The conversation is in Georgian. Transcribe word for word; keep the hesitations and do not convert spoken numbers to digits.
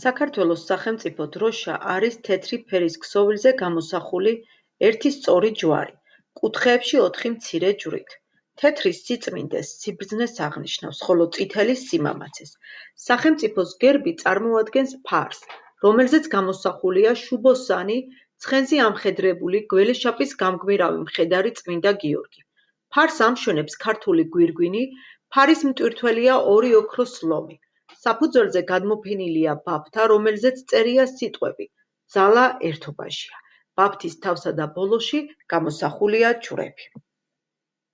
საქართველოს სახელმწიფო დროშა არის თეთრი ფერის ქსოვილზე გამოსახული ერთი სწორი ჯვარი, კუთხეებში ოთხი მცირე ჯვრით. თეთრი სიწმინდეს, სიბრძნეს აღნიშნავს, ხოლო წითელი სიმამაცეს. სახელმწიფოს გერბი წარმოადგენს ფარს, რომელზეც გამოსახულია შუბოსანი, ცხენზე ამხედრებული გველეშაპის გამგმირავი მხედარი წმინდა გიორგი. ფარს ამშვენებს ქართული გვირგვინი, ფარის მტვირთველია ორი ოქროს ლომი. საფუძველზე გადმოფენილია ბაფთა, რომელზეც წერია სიტყვები „ძალა ერთობაშია“. ბაფთის თავსა და ბოლოში გამოსახულია ჯვრები.